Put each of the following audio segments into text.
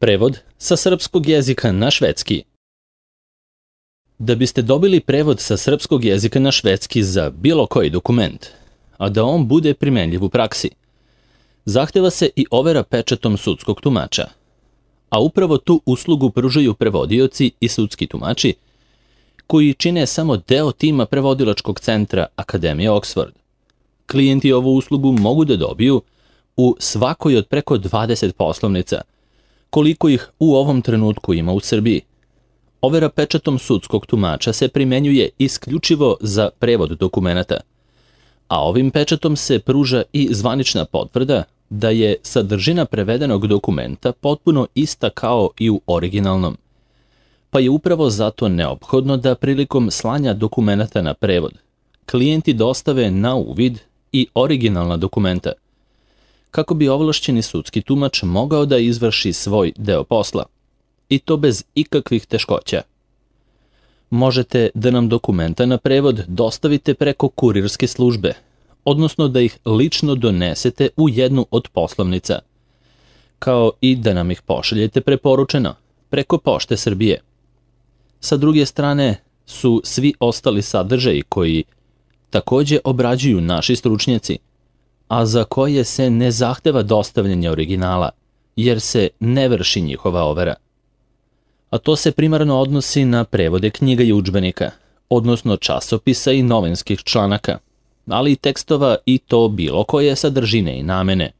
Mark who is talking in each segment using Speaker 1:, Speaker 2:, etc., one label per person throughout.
Speaker 1: Prevod sa srpskog jezika na švedski. Da biste dobili prevod sa srpskog jezika na švedski za bilo koji dokument, a da on bude primenljiv u praksi, zahteva se i overa pečatom sudskog tumača. A upravo tu uslugu pružaju prevodioci i sudski tumači, koji čine samo deo tima prevodilačkog centra Akademije Oxford. Klijenti ovu uslugu mogu da dobiju u svakoj od preko 20 poslovnica, koliko ih u ovom trenutku ima u Srbiji. Overa pečatom sudskog tumača se primenjuje isključivo za prevod dokumenata, a ovim pečatom se pruža i zvanična potvrda da je sadržina prevedenog dokumenta potpuno ista kao i u originalnom, pa je upravo zato neophodno da prilikom slanja dokumenata na prevod klijenti dostave na uvid i originalna dokumenta, kako bi ovlašćeni sudski tumač mogao da izvrši svoj deo posla, i to bez ikakvih teškoća. Možete da nam dokumenta na prevod dostavite preko kurirske službe, odnosno da ih lično donesete u jednu od poslovnica, kao i da nam ih pošaljete preporučeno preko Pošte Srbije. Sa druge strane su svi ostali sadržaji koji takođe obrađuju naši stručnjaci, a za koje se ne zahteva dostavljanje originala, jer se ne vrši njihova overa. A to se primarno odnosi na prevode knjiga i udžbenika, odnosno časopisa i novinskih članaka, ali i tekstova i to bilo koje sadržine i namene.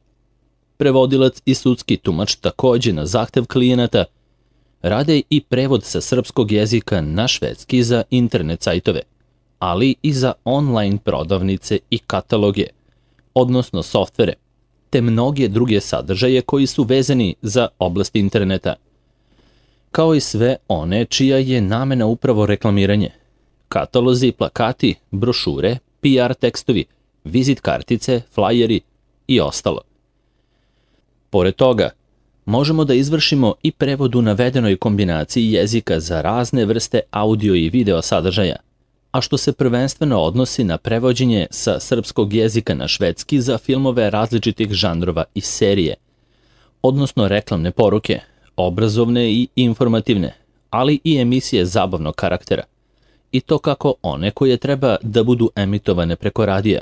Speaker 1: Prevodilac i sudski tumač takođe na zahtev klijenata rade i prevod sa srpskog jezika na švedski za internet sajtove, ali i za online prodavnice i kataloge, odnosno softvere, te mnoge druge sadržaje koji su vezani za oblast interneta, kao i sve one čija je namena upravo reklamiranje, katalozi, plakati, brošure, PR tekstovi, vizit kartice, flajeri i ostalo. Pored toga, možemo da izvršimo i prevod u navedenoj kombinaciji jezika za razne vrste audio i video sadržaja, a što se prvenstveno odnosi na prevođenje sa srpskog jezika na švedski za filmove različitih žanrova i serije, odnosno reklamne poruke, obrazovne i informativne, ali i emisije zabavnog karaktera, i to kako one koje treba da budu emitovane preko radija,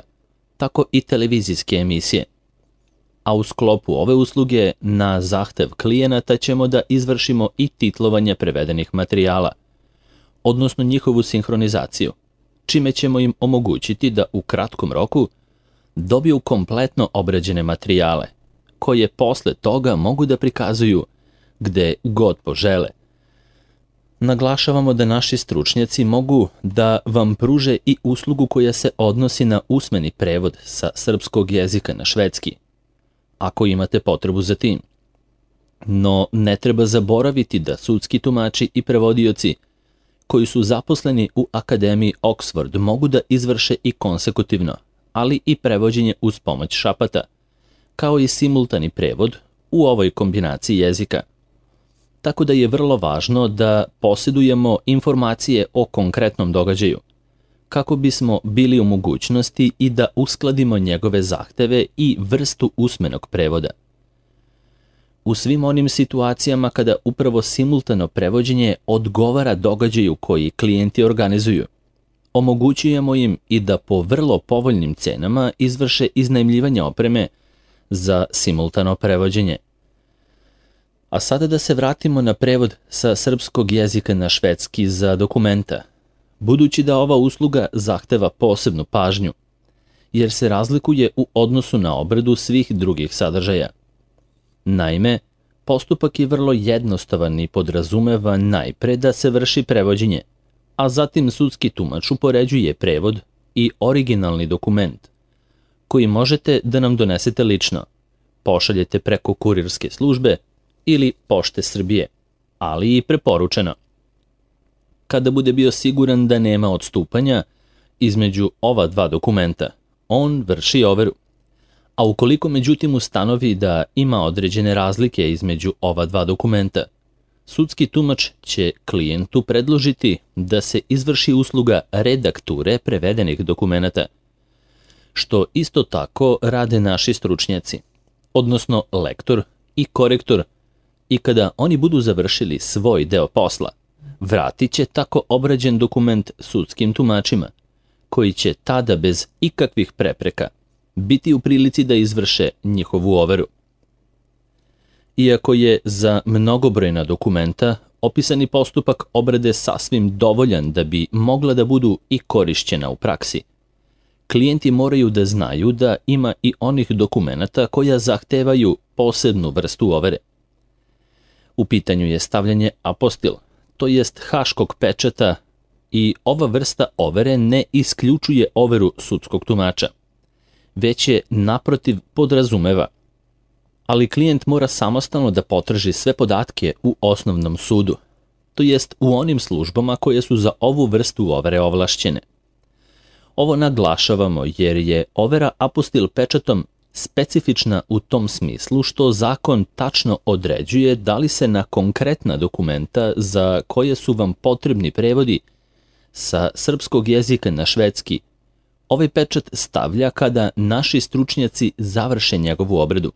Speaker 1: tako i televizijske emisije. A u sklopu ove usluge na zahtev klijenata ćemo da izvršimo i titlovanje prevedenih materijala, odnosno njihovu sinhronizaciju, čime ćemo im omogućiti da u kratkom roku dobiju kompletno obrađene materijale, koje posle toga mogu da prikazuju gde god požele. Naglašavamo da naši stručnjaci mogu da vam pruže i uslugu koja se odnosi na usmeni prevod sa srpskog jezika na švedski, ako imate potrebu za tim. No, ne treba zaboraviti da sudski tumači i prevodioci koji su zaposleni u Akademiji Oxford mogu da izvrše i konsekutivno, ali i prevođenje uz pomoć šapata, kao i simultani prevod u ovoj kombinaciji jezika. Tako da je vrlo važno da posjedujemo informacije o konkretnom događaju, kako bismo bili u mogućnosti i da uskladimo njegove zahteve i vrstu usmenog prevoda. U svim onim situacijama kada upravo simultano prevođenje odgovara događaju koji klijenti organizuju, omogućujemo im i da po vrlo povoljnim cenama izvrše iznajmljivanje opreme za simultano prevođenje. A sada da se vratimo na prevod sa srpskog jezika na švedski za dokumenta, budući da ova usluga zahteva posebnu pažnju, jer se razlikuje u odnosu na obradu svih drugih sadržaja. Naime, postupak je vrlo jednostavan i podrazumeva najpre da se vrši prevođenje, a zatim sudski tumač upoređuje prevod i originalni dokument, koji možete da nam donesete lično, pošaljete preko kurirske službe ili Pošte Srbije, ali i preporučeno. Kada bude bio siguran da nema odstupanja između ova dva dokumenta, on vrši overu. A ukoliko međutim ustanovi da ima određene razlike između ova dva dokumenta, sudski tumač će klijentu predložiti da se izvrši usluga redakture prevedenih dokumenata, što isto tako rade naši stručnjaci, odnosno lektor i korektor, I kada oni budu završili svoj deo posla, vratit će tako obrađen dokument sudskim tumačima, koji će tada bez ikakvih prepreka biti u prilici da izvrše njihovu overu. Iako je za mnogobrojna dokumenta opisani postupak obrade sasvim dovoljan da bi mogla da budu i korišćena u praksi, klijenti moraju da znaju da ima i onih dokumenata koja zahtevaju posebnu vrstu overe. U pitanju je stavljanje apostil, to jest haškog pečata, i ova vrsta overe ne isključuje overu sudskog tumača, već je naprotiv podrazumeva. Ali klijent mora samostalno da potraži sve podatke u osnovnom sudu, to jest u onim službama koje su za ovu vrstu overe ovlašćene. Ovo naglašavamo jer je overa apostil pečatom specifična u tom smislu što zakon tačno određuje da li se na konkretna dokumenta za koje su vam potrebni prevodi sa srpskog jezika na švedski, ovaj pečat stavlja kada naši stručnjaci završe njegovu obradu.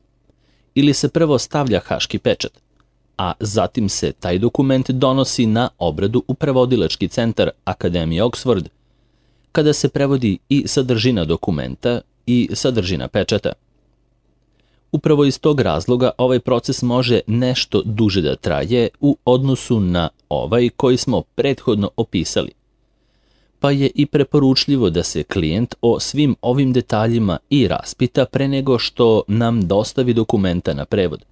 Speaker 1: Ili se prvo stavlja haški pečat, a zatim se taj dokument donosi na obradu u prevodilački centar Akademije Oxford, kada se prevodi i sadržina dokumenta i sadržina pečata. Upravo iz tog razloga ovaj proces može nešto duže da traje u odnosu na ovaj koji smo prethodno opisali. Pa je i preporučljivo da se klijent o svim ovim detaljima i raspita pre nego što nam dostavi dokumenta na prevod,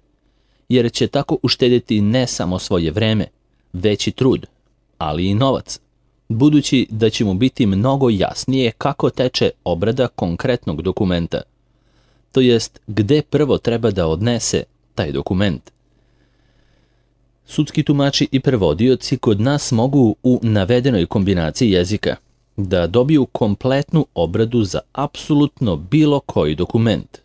Speaker 1: jer će tako uštedjeti ne samo svoje vreme, već i trud, ali i novac, budući da će mu biti mnogo jasnije kako teče obrada konkretnog dokumenta, to jest gde prvo treba da odnese taj dokument. Sudski tumači i prevodioci kod nas mogu u navedenoj kombinaciji jezika da dobiju kompletnu obradu za apsolutno bilo koji dokument,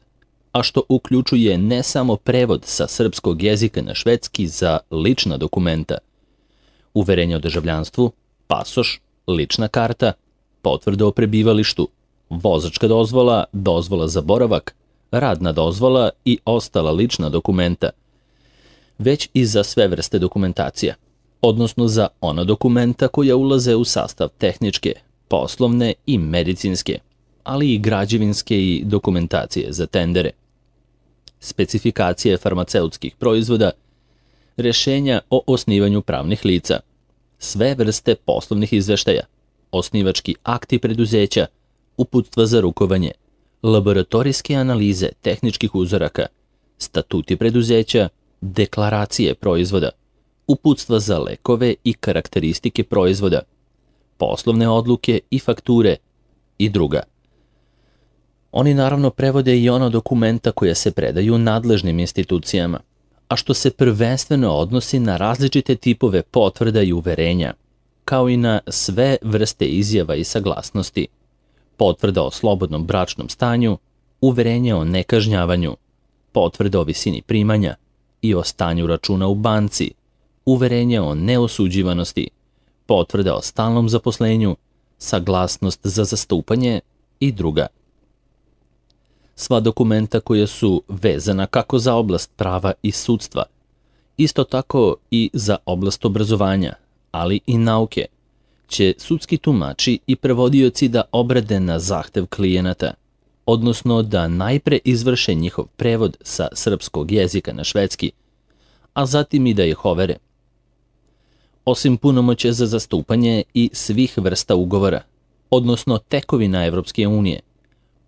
Speaker 1: a što uključuje ne samo prevod sa srpskog jezika na švedski za lična dokumenta, uverenje o državljanstvu, pasoš, lična karta, potvrda o prebivalištu, vozačka dozvola, dozvola za boravak, radna dozvola i ostala lična dokumenta, već i za sve vrste dokumentacija, odnosno za ona dokumenta koja ulaze u sastav tehničke, poslovne i medicinske, ali i građevinske i dokumentacije za tendere, specifikacije farmaceutskih proizvoda, rešenja o osnivanju pravnih lica, sve vrste poslovnih izveštaja, osnivački akti preduzeća, uputstva za rukovanje, laboratorijske analize tehničkih uzoraka, statuti preduzeća, deklaracije proizvoda, uputstva za lekove i karakteristike proizvoda, poslovne odluke i fakture i druga. Oni naravno prevode i ono dokumenta koja se predaju nadležnim institucijama, a što se prvenstveno odnosi na različite tipove potvrda i uverenja, kao i na sve vrste izjava i saglasnosti, potvrda o slobodnom bračnom stanju, uverenje o nekažnjavanju, potvrda o visini primanja i o stanju računa u banci, uverenje o neosuđivanosti, potvrda o stalnom zaposlenju, saglasnost za zastupanje i druga. Sva dokumenta koja su vezana kako za oblast prava i sudstva, isto tako i za oblast obrazovanja, ali i nauke, će sudski tumači i prevodioci da obrade na zahtev klijenata, odnosno da najpre izvrše njihov prevod sa srpskog jezika na švedski, a zatim i da ih overe. Osim punomoće za zastupanje i svih vrsta ugovora, odnosno tekovina Evropske unije,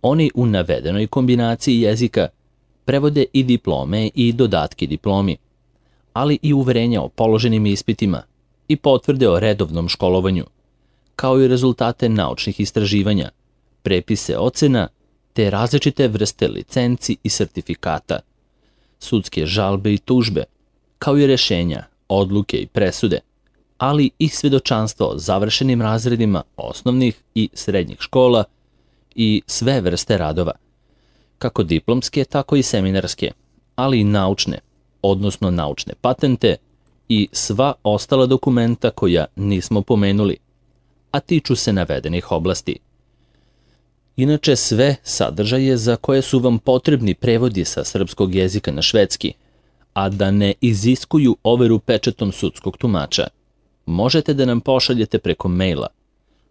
Speaker 1: oni u navedenoj kombinaciji jezika prevode i diplome i dodatke diplomi, ali i uverenja o položenim ispitima i potvrde o redovnom školovanju, kao i rezultate naučnih istraživanja, prepise ocena, te različite vrste licenci i sertifikata, sudske žalbe i tužbe, kao i rešenja, odluke i presude, ali i svedočanstvo o završenim razredima osnovnih i srednjih škola i sve vrste radova, kako diplomske, tako i seminarske, ali i naučne, odnosno naučne patente i sva ostala dokumenta koja nismo pomenuli, a tiču se navedenih oblasti. Inače, sve sadržaje za koje su vam potrebni prevodi sa srpskog jezika na švedski, a da ne iziskuju overu pečatom sudskog tumača. Možete da nam pošaljete preko maila,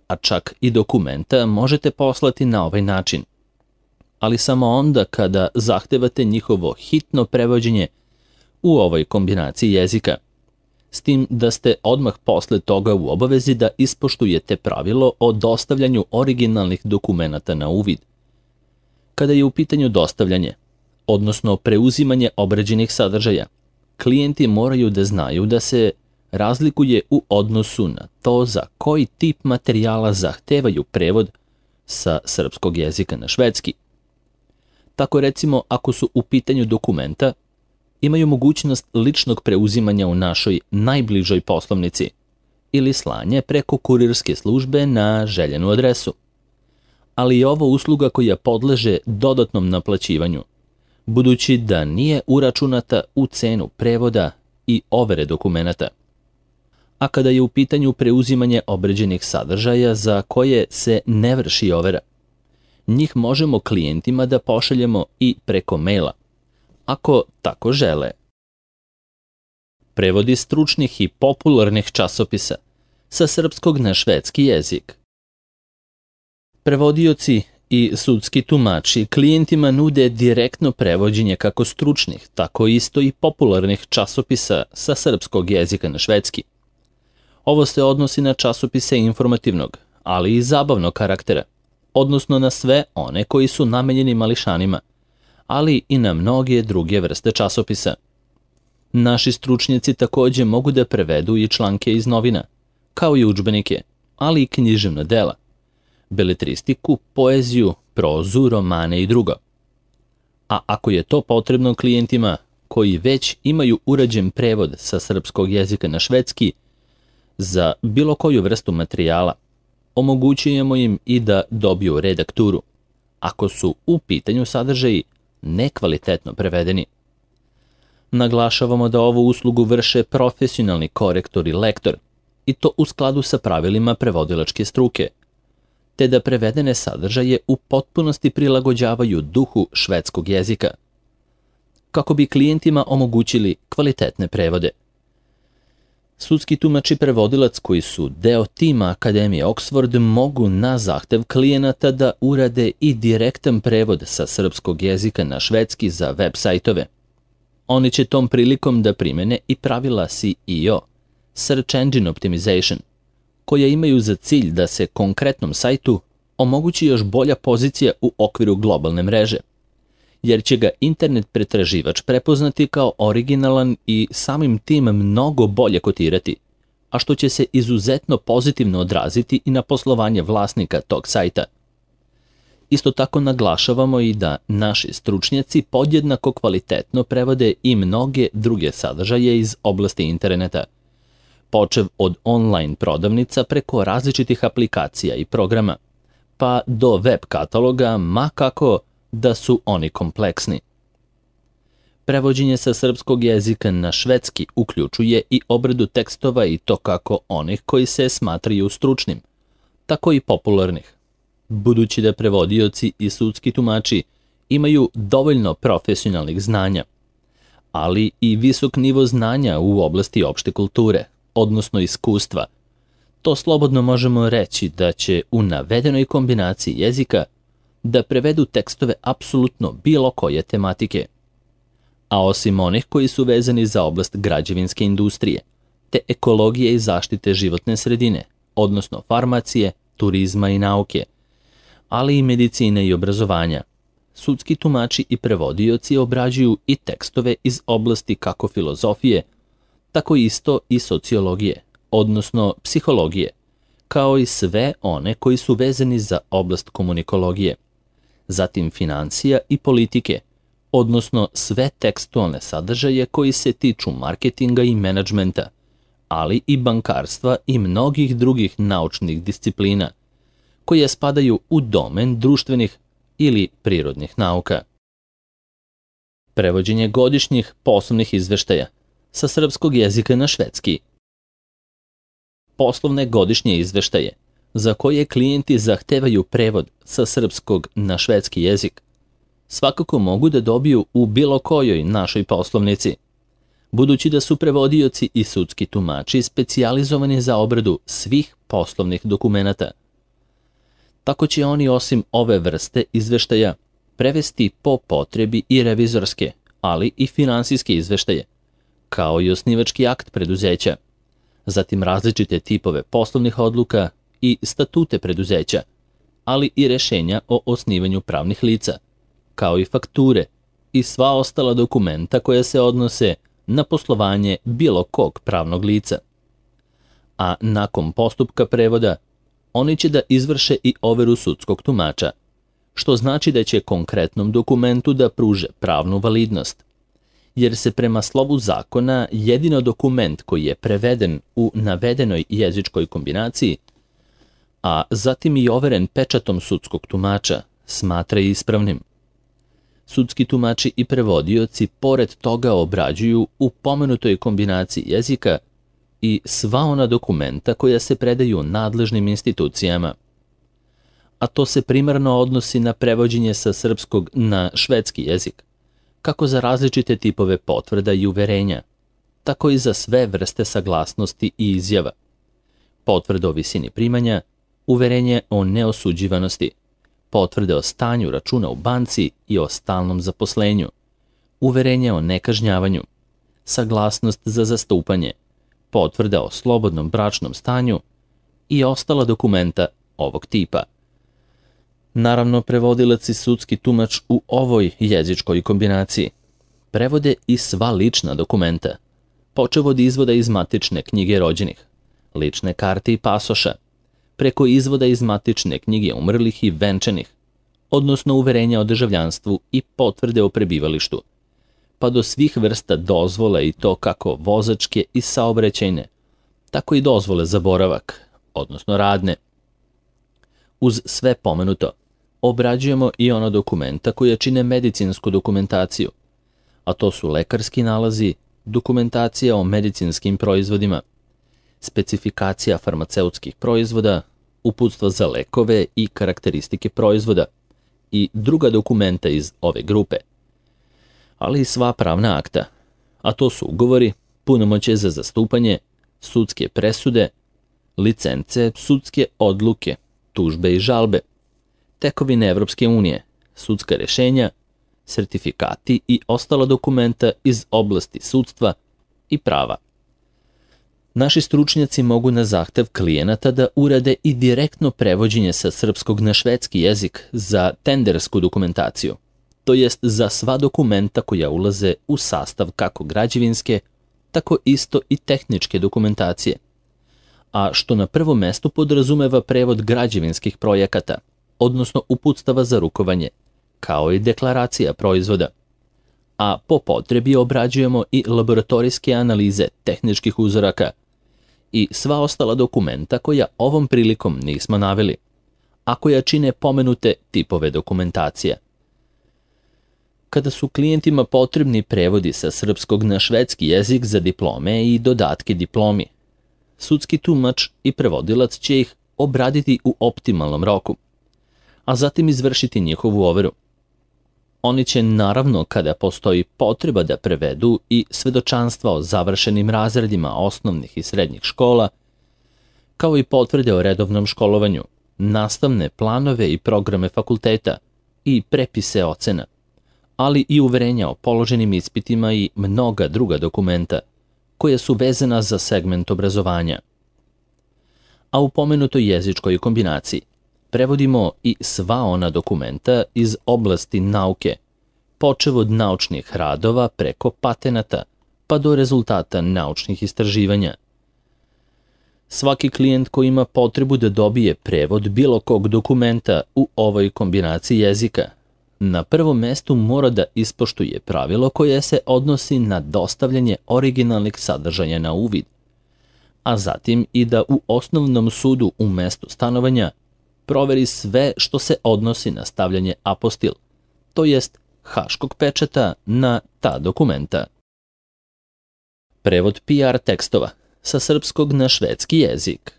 Speaker 1: a čak i dokumenta možete poslati na ovaj način, ali samo onda kada zahtevate njihovo hitno prevođenje u ovoj kombinaciji jezika, s tim da ste odmah posle toga u obavezi da ispoštujete pravilo o dostavljanju originalnih dokumenata na uvid. Kada je u pitanju dostavljanje, odnosno preuzimanje obrađenih sadržaja, klijenti moraju da znaju da se razlikuje u odnosu na to za koji tip materijala zahtevaju prevod sa srpskog jezika na švedski. Tako recimo, ako su u pitanju dokumenta, imaju mogućnost ličnog preuzimanja u našoj najbližoj poslovnici ili slanje preko kurirske službe na željenu adresu. Ali je ovo usluga koja podleže dodatnom naplaćivanju, budući da nije uračunata u cenu prevoda i overe dokumenata. A kada je u pitanju preuzimanje obrađenih sadržaja za koje se ne vrši overa, njih možemo klijentima da pošaljemo i preko maila, ako tako žele. Prevodi stručnih i popularnih časopisa sa srpskog na švedski jezik. Prevodioci i sudski tumači klijentima nude direktno prevođenje kako stručnih, tako isto i popularnih časopisa sa srpskog jezika na švedski. Ovo se odnosi na časopise informativnog, ali i zabavnog karaktera, odnosno na sve one koji su namenjeni mališanima, ali i na mnoge druge vrste časopisa. Naši stručnjaci takođe mogu da prevedu i članke iz novina, kao i udžbenike, ali i književna dela, beletristiku, poeziju, prozu, romane i drugo. A ako je to potrebno klijentima koji već imaju urađen prevod sa srpskog jezika na švedski za bilo koju vrstu materijala, omogućujemo im i da dobiju redakturu, ako su u pitanju sadržaji nekvalitetno prevedeni. Naglašavamo da ovu uslugu vrše profesionalni korektor i lektor, i to u skladu sa pravilima prevodilačke struke, te da prevedene sadržaje u potpunosti prilagođavaju duhu švedskog jezika, kako bi klijentima omogućili kvalitetne prevode. Sudski tumač i prevodilac koji su deo tima Akademije Oxford mogu na zahtev klijenata da urade i direktan prevod sa srpskog jezika na švedski za web sajtove. Oni će tom prilikom da primene i pravila SEO, Search Engine Optimization, koja imaju za cilj da se konkretnom sajtu omogući još bolja pozicija u okviru globalne mreže, jer će ga internet pretraživač prepoznati kao originalan i samim tim mnogo bolje kotirati, a što će se izuzetno pozitivno odraziti i na poslovanje vlasnika tog sajta. Isto tako naglašavamo i da naši stručnjaci podjednako kvalitetno prevode i mnoge druge sadržaje iz oblasti interneta, počev od online prodavnica preko različitih aplikacija i programa, pa do web kataloga, ma kako da su oni kompleksni. Prevođenje sa srpskog jezika na švedski uključuje i obradu tekstova i to kako onih koji se smatraju stručnim, tako i popularnih, budući da prevodioci i sudski tumači imaju dovoljno profesionalnih znanja, ali i visok nivo znanja u oblasti opšte kulture, odnosno iskustva. To slobodno možemo reći da će u navedenoj kombinaciji jezika da prevedu tekstove apsolutno bilo koje tematike. A osim onih koji su vezani za oblast građevinske industrije, te ekologije i zaštite životne sredine, odnosno farmacije, turizma i nauke, ali i medicine i obrazovanja, sudski tumači i prevodioci obrađuju i tekstove iz oblasti kako filozofije, tako isto i sociologije, odnosno psihologije, kao i sve one koji su vezani za oblast komunikologije, zatim financija i politike, odnosno sve tekstualne sadržaje koji se tiču marketinga i menadžmenta, ali i bankarstva i mnogih drugih naučnih disciplina, koje spadaju u domen društvenih ili prirodnih nauka. Prevođenje godišnjih poslovnih izveštaja sa srpskog jezika na švedski. Poslovne godišnje izveštaje, za koje klijenti zahtevaju prevod sa srpskog na švedski jezik, svakako mogu da dobiju u bilo kojoj našoj poslovnici, budući da su prevodioci i sudski tumači specijalizovani za obradu svih poslovnih dokumenata. Tako će oni osim ove vrste izveštaja prevesti po potrebi i revizorske, ali i finansijske izveštaje, kao i osnivački akt preduzeća, zatim različite tipove poslovnih odluka i statute preduzeća, ali i rešenja o osnivanju pravnih lica, kao i fakture i sva ostala dokumenta koja se odnose na poslovanje bilo kog pravnog lica. A nakon postupka prevoda, oni će da izvrše i overu sudskog tumača, što znači da će konkretnom dokumentu da pruže pravnu validnost, jer se prema slovu zakona jedino dokument koji je preveden u navedenoj jezičkoj kombinaciji, a zatim i overen pečatom sudskog tumača, smatra ispravnim. Sudski tumači i prevodioci pored toga obrađuju u pomenutoj kombinaciji jezika i sva ona dokumenta koja se predaju nadležnim institucijama. A to se primarno odnosi na prevođenje sa srpskog na švedski jezik, kako za različite tipove potvrda i uverenja, tako i za sve vrste saglasnosti i izjava. Potvrde o visini primanja, uverenje o neosuđivanosti, potvrde o stanju računa u banci i o stalnom zaposlenju, uverenje o nekažnjavanju, saglasnost za zastupanje, potvrda o slobodnom bračnom stanju i ostala dokumenta ovog tipa. Naravno, prevodilac i sudski tumač u ovoj jezičkoj kombinaciji prevode i sva lična dokumenta, počev od izvoda iz matične knjige rođenih, lične karte i pasoša, preko izvoda iz matične knjige umrlih i venčanih, odnosno uverenja o državljanstvu i potvrde o prebivalištu, pa do svih vrsta dozvola i to kako vozačke i saobraćajne, tako i dozvole za boravak, odnosno radne. Uz sve pomenuto, obrađujemo i ono dokumenta koje čine medicinsku dokumentaciju, a to su lekarski nalazi, dokumentacija o medicinskim proizvodima, specifikacija farmaceutskih proizvoda, uputstva za lekove i karakteristike proizvoda i druga dokumenta iz ove grupe, ali i sva pravna akta, a to su ugovori, punomoćje za zastupanje, sudske presude, licence, sudske odluke, tužbe i žalbe, tekovine Evropske unije, sudska rešenja, sertifikati i ostala dokumenta iz oblasti sudstva i prava. Naši stručnjaci mogu na zahtev klijenata da urade i direktno prevođenje sa srpskog na švedski jezik za tendersku dokumentaciju, to jest za sva dokumenta koja ulaze u sastav kako građevinske, tako isto i tehničke dokumentacije, a što na prvom mestu podrazumeva prevod građevinskih projekata, odnosno uputstava za rukovanje, kao i deklaracija proizvoda. A po potrebi obrađujemo i laboratorijske analize tehničkih uzoraka i sva ostala dokumenta koja ovom prilikom nismo naveli, a koja čine pomenute tipove dokumentacija. Kada su klijentima potrebni prevodi sa srpskog na švedski jezik za diplome i dodatke diplomi, sudski tumač i prevodilac će ih obraditi u optimalnom roku, a zatim izvršiti njihovu overu. Oni će naravno, kada postoji potreba da prevedu i svedočanstva o završenim razredima osnovnih i srednjih škola, kao i potvrde o redovnom školovanju, nastavne planove i programe fakulteta i prepise ocena, ali i uverenja o položenim ispitima i mnoga druga dokumenta koja su vezana za segment obrazovanja. A u pomenutoj jezičkoj kombinaciji prevodimo i sva ona dokumenta iz oblasti nauke, počev od naučnih radova preko patenata pa do rezultata naučnih istraživanja. Svaki klijent koji ima potrebu da dobije prevod bilo kog dokumenta u ovoj kombinaciji jezika, na prvom mestu mora da ispoštuje pravilo koje se odnosi na dostavljanje originalnih sadržaja na uvid, a zatim i da u osnovnom sudu u mestu stanovanja proveri sve što se odnosi na stavljanje apostil, to jest haškog pečata na ta dokumenta. Prevod PR tekstova sa srpskog na švedski jezik.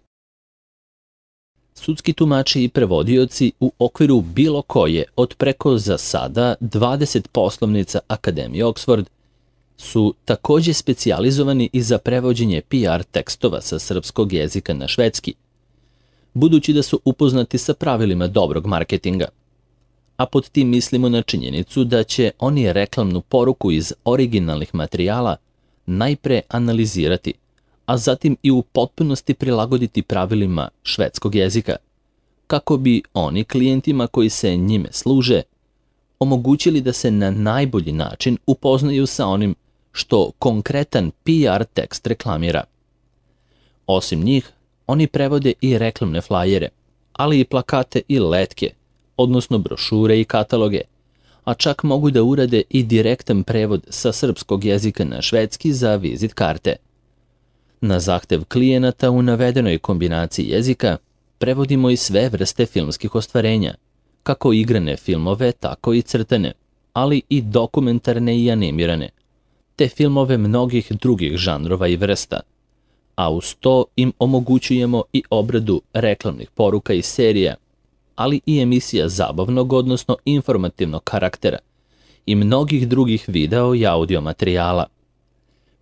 Speaker 1: Sudski tumači i prevodioci u okviru bilo koje od preko za sada 20 poslovnica Akademije Oxford su takođe specijalizovani i za prevođenje PR tekstova sa srpskog jezika na švedski, budući da su upoznati sa pravilima dobrog marketinga. A pod tim mislimo na činjenicu da će oni reklamnu poruku iz originalnih materijala najpre analizirati, a zatim i u potpunosti prilagoditi pravilima švedskog jezika, kako bi oni klijentima koji se njime služe omogućili da se na najbolji način upoznaju sa onim što konkretan PR tekst reklamira. Osim njih, oni prevode i reklamne flajere, ali i plakate i letke, odnosno brošure i kataloge, a čak mogu da urade i direktan prevod sa srpskog jezika na švedski za vizit karte. Na zahtev klijenata u navedenoj kombinaciji jezika prevodimo i sve vrste filmskih ostvarenja, kako igrane filmove, tako i crtane, ali i dokumentarne i animirane, te filmove mnogih drugih žanrova i vrsta, a uz to im omogućujemo i obradu reklamnih poruka i serija, ali i emisija zabavnog, odnosno informativnog karaktera i mnogih drugih video i audio materijala.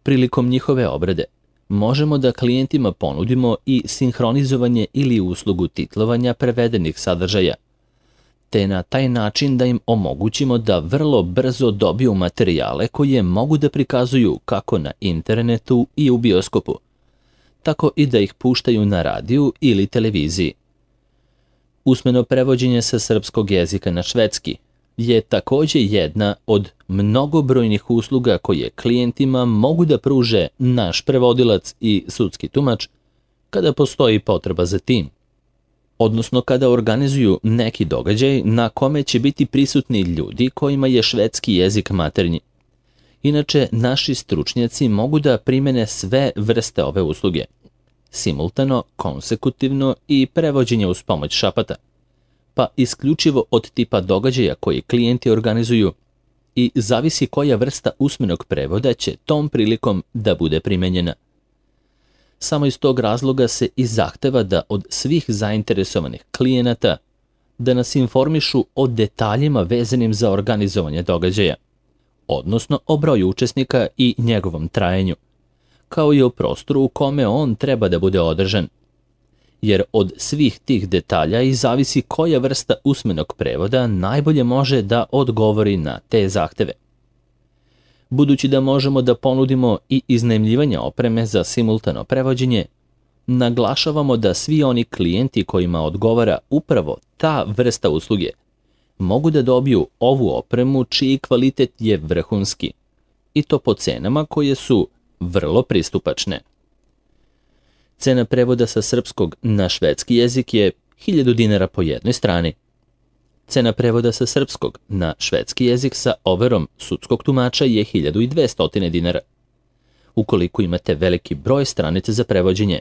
Speaker 1: Prilikom njihove obrade možemo da klijentima ponudimo i sinhronizovanje ili uslugu titlovanja prevedenih sadržaja, te na taj način da im omogućimo da vrlo brzo dobiju materijale koje mogu da prikazuju kako na internetu i u bioskopu, tako i da ih puštaju na radiju ili televiziji. Usmeno prevođenje sa srpskog jezika na švedski je takođe jedna od mnogobrojnih usluga koje klijentima mogu da pruže naš prevodilac i sudski tumač kada postoji potreba za tim, odnosno kada organizuju neki događaj na kome će biti prisutni ljudi kojima je švedski jezik maternji. Inače, naši stručnjaci mogu da primene sve vrste ove usluge, simultano, konsekutivno i prevođenje uz pomoć šapata, pa isključivo od tipa događaja koji klijenti organizuju i zavisi koja vrsta usmenog prevoda će tom prilikom da bude primenjena. Samo iz tog razloga se i zahteva da od svih zainteresovanih klijenata da nas informišu o detaljima vezanim za organizovanje događaja, odnosno o broju učesnika i njegovom trajanju, kao i o prostoru u kome on treba da bude održan, jer od svih tih detalja i zavisi koja vrsta usmenog prevoda najbolje može da odgovori na te zahteve. Budući da možemo da ponudimo i iznajmljivanje opreme za simultano prevođenje, naglašavamo da svi oni klijenti kojima odgovara upravo ta vrsta usluge mogu da dobiju ovu opremu čiji kvalitet je vrhunski, i to po cenama koje su vrlo pristupačne. Cena prevoda sa srpskog na švedski jezik je 1000 dinara po jednoj strani. Cena prevoda sa srpskog na švedski jezik sa overom sudskog tumača je 1200 dinara. Ukoliko imate veliki broj stranica za prevođenje,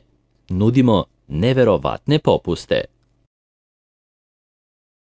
Speaker 1: nudimo neverovatne popuste.